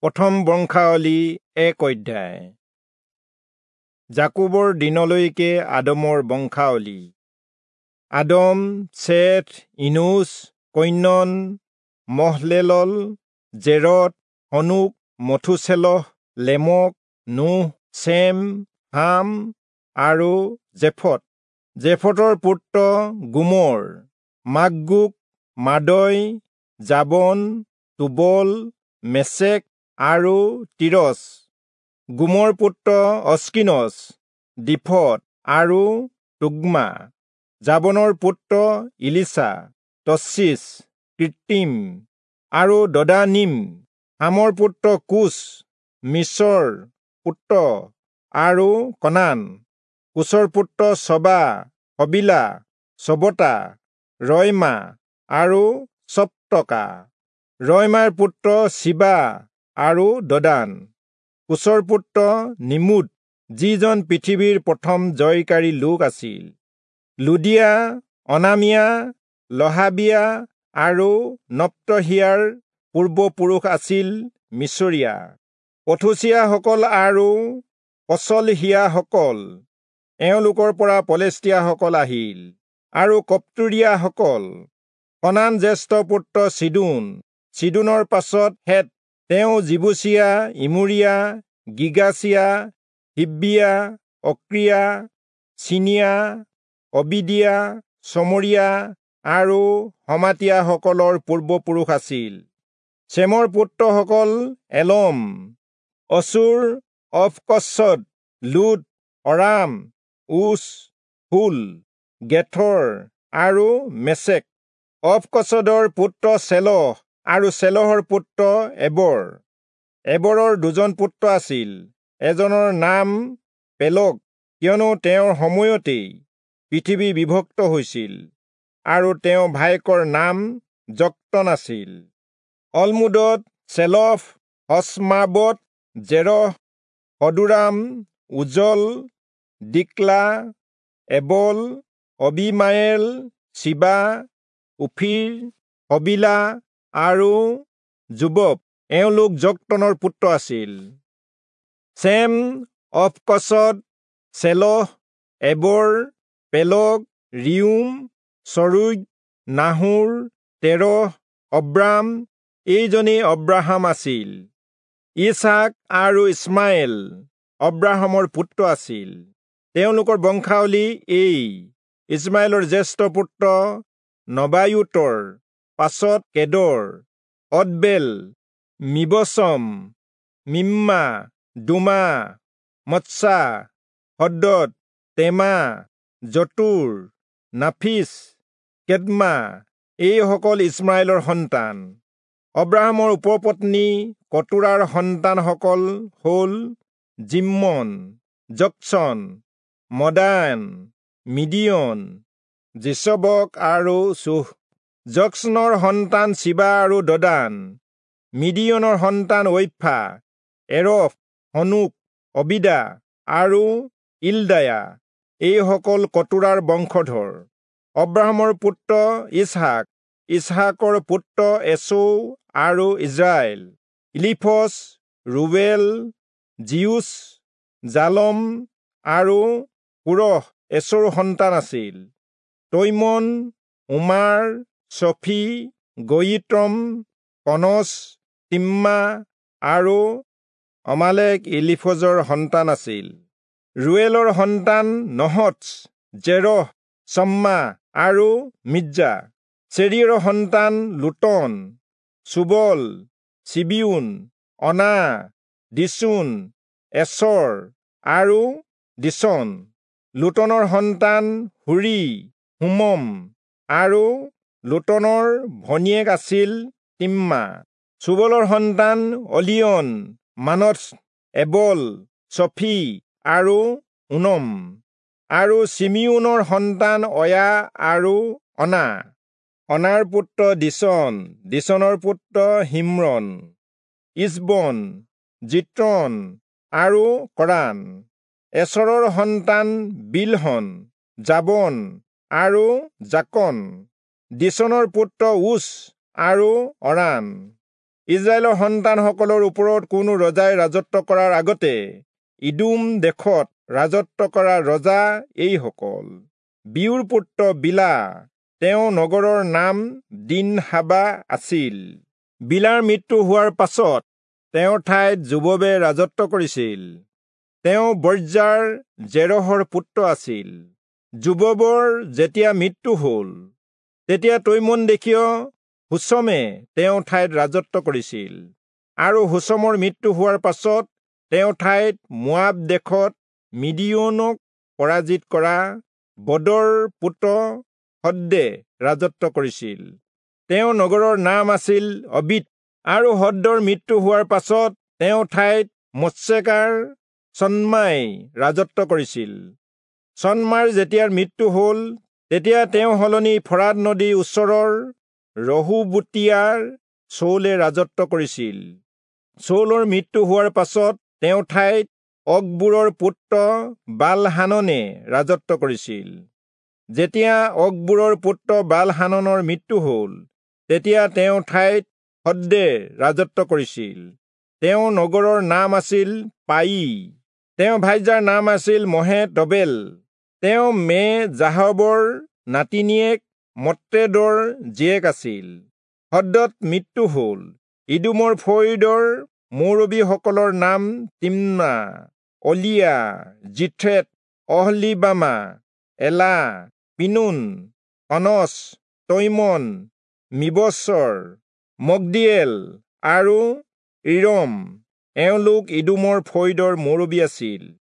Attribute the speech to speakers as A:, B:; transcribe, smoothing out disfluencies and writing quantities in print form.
A: প্ৰথম বংশাৱলী 1 অধ্যায়। যাকোবৰ দিনলৈকে আদমৰ বংশাৱলী। Adam, Seth, Enosh, Cainan, Mahalalel, Jared, Hanok, Methuselah, Lamech, Noah, Shem, Ham আৰু জেফত। জেফতৰ পুত্ৰ Gomer, Magog, Madai, Javan, Tubal, Meshech আৰু তিৰচ। গোমৰ পুত্ৰ অস্কিনচ, দীফত আৰু তোগ্মা। যাবনৰ পুত্ৰ ইলিচা, তচ্চিচ, কৃত্ৰিম আৰু দদানিম। হামৰ পুত্ৰ কুচ, মিছৰ পুত্ৰ আৰু কনান। কুচৰ পুত্ৰ চবা, হবিলা, চবতা, ৰয়মা আৰু চপ্তকা। ৰয়মাৰ পুত্ৰ শিবা আৰু দদান। কুচৰ পুত্ৰ নিমুদ, যিজন পৃথিৱীৰ প্ৰথম জয়কাৰী লোক আছিল। লুদিয়া, অনামিয়া, লহাবিয়া আৰু নপ্তহিয়াৰ পূৰ্বপুৰুষ আছিল মিছৰীয়া। পথুচিয়াসকল আৰু পচলহিয়াসকল, এওঁলোকৰ পৰা পলেষ্টিয়াসকল আহিল, আৰু কপ্তুৰীয়াসকল। কনান জ্যেষ্ঠ পুত্ৰ চিদোন, চিদোনৰ পাছত হেত। তেওঁ জিবুচীয়া, ইমূৰীয়া, গিগাচীয়া, হিব্বিয়া, অক্ৰিয়া, চিনিয়া, অবিদিয়া, চমৰীয়া আৰু হমাতীয়াসকলৰ পূৰ্বপুৰুষ আছিল। চেমৰ পুত্ৰসকল Elam, Asshur, Arphaxad, Lud, Aram, Uz, Hul, Gether আৰু মেচেক। অৰ্পক্ষদৰ পুত্ৰ চেলহ আৰু চেলহৰ পুত্ৰ এবৰ। এবৰৰ দুজন পুত্ৰ আছিল। এজনৰ নাম পেলগ, কিয়নো তেওঁৰ সময়তেই পৃথিৱী বিভক্ত হৈছিল, আৰু তেওঁ ভায়েকৰ নাম যক্তন আছিল। Almodad, Sheleph, Hazarmaveth, Zerah, Hadoram, Uzal, Diklah, Ebal, Abimael, Sheba, Ophir, Havilah আৰু যোবব। এওঁলোক যক্তনৰ পুত্ৰ আছিল। Shem, Arphaxad, Shelah, Eber, Peleg, Reu, Serug, Nahor, Terah, Abram. এইজনেই Abraham আছিল। ইছহাক আৰু ইছমাইল অব্ৰাহামৰ পুত্ৰ আছিল। তেওঁলোকৰ বংশাৱলী এই: ইছমাইলৰ জ্যেষ্ঠ পুত্ৰ নবায়োতৰ পাছত Kedar, Adbeel, Mibsam, Mishma, Dumah, Massa, Hadad, Tema, Jetur, Naphish, Kedmah. এইসকল ইছমাইলৰ সন্তান। অব্ৰাহামৰ উপপত্নী কতোৰাৰ সন্তানসকল হ'ল জিম্মন, যক্সন, মদান, মিডিয়ন, যিচবক আৰু চূহ। যক্সনৰ সন্তান শিবা আৰু দদান। মিডিয়নৰ সন্তান ঐফা, এৰফ, হনোক, অবিদা আৰু ইলদায়া। এইসকল কতোৰাৰ বংশধৰ। অব্ৰাহামৰ পুত্ৰ ইছহাক, ইছহাকৰ পুত্ৰ এচৌ আৰু ইজৰাইল। ইলিফচ, ৰুৱেল, জিউচ, জালম আৰু কোৰহ এচৌৰ সন্তান আছিল। তৈমন, ওমাৰ, চফি, গয়িত্ৰম, কনচ, তিম্মা আৰু অমালেক ইলিফজৰ সন্তান আছিল। ৰুৱেলৰ সন্তান নহচ, জেৰহ, চম্মা আৰু মিজ্জা। চেৰিয়ৰ সন্তান লোটন, চুবল, চিবিউন, অনা, দিচোন, এচৰ আৰু দিচন। লোটনৰ সন্তান হুৰি, হোমম আৰু লোটনৰ ভনীয়েক আছিল তিম্মা। চুবলৰ সন্তান অলিয়ন, মানথ, এবল, চফি আৰু ওনম। আৰু চিমিউনৰ সন্তান অয়া আৰু অনা। অনাৰ পুত্ৰ দিচন, দিচনৰ পুত্ৰ হিম্ৰন, ইচবন, জিত্ৰন আৰু কৰান। এচৰৰ সন্তান বিলহন, যাবন আৰু জাকন। দিচনৰ পুত্ৰ উচ আৰু অৰান। ইস্ৰায়েলৰ সন্তানসকলৰ ওপৰত কোনো ৰজাই ৰাজত্ব কৰাৰ আগতে ইদোম দেশত ৰাজত্ব কৰা ৰজা এইসকল। বিয়োৰ পুত্ৰ বিলা, তেওঁ নগৰৰ নাম দিনহাবা আছিল। বিলাৰ মৃত্যু হোৱাৰ পাছত তেওঁৰ ঠাইত যোববে ৰাজত্ব কৰিছিল। তেওঁ বৰ্জাৰ জেৰহৰ পুত্ৰ আছিল। যোববৰ যেতিয়া মৃত্যু হ'ল, তেতিয়া তৈমন দেশীয় হুচমে তেওঁৰ ঠাইত ৰাজত্ব কৰিছিল। আৰু হুচমৰ মৃত্যু হোৱাৰ পাছত তেওঁৰ ঠাইত মোৱাব দেশত মিদিয়নক পৰাজিত কৰা বদৰ পুত্ৰ হদ্দে ৰাজত্ব কৰিছিল। তেওঁৰ নগৰৰ নাম আছিল অবিত। আৰু হদ্দৰ মৃত্যু হোৱাৰ পাছত তেওঁৰ ঠাইত মৎসেকাৰ চন্মাই ৰাজত্ব কৰিছিল। চন্মাৰ যেতিয়া মৃত্যু হ'ল, তেতিয়া তেওঁ সলনি ফৰাত নদীৰ ওচৰৰ ৰহোবোতিয়াৰ চৌলে ৰাজত্ব কৰিছিল। চৌলৰ মৃত্যু হোৱাৰ পাছত তেওঁৰ ঠাইত অকবোৰৰ পুত্ৰ বালহাননে ৰাজত্ব কৰিছিল। যেতিয়া অকবোৰৰ পুত্ৰ বালহাননৰ মৃত্যু হ'ল, তেতিয়া তেওঁৰ ঠাইত হদ্দে ৰাজত্ব কৰিছিল। তেওঁৰ নগৰৰ নাম আছিল পাই। তেওঁ ভাইজাৰ নাম আছিল মহেতবেল। তেওঁ মে জাহবৰ নাতিনীয়েক মত্ৰেদৰ জীয়েক আছিল। হদ্দত মৃত্যু হ'ল। ইদোমৰ ফৈদৰ মৌৰবীসকলৰ নাম Timna, Alia, Jetheth, Oholibamah, Elah, Pinon, Kenaz, Teman, Mibzar, Magdiel আৰু ইৰম। এওঁলোক ইদোমৰ ফৈদৰ মৌৰবী আছিল।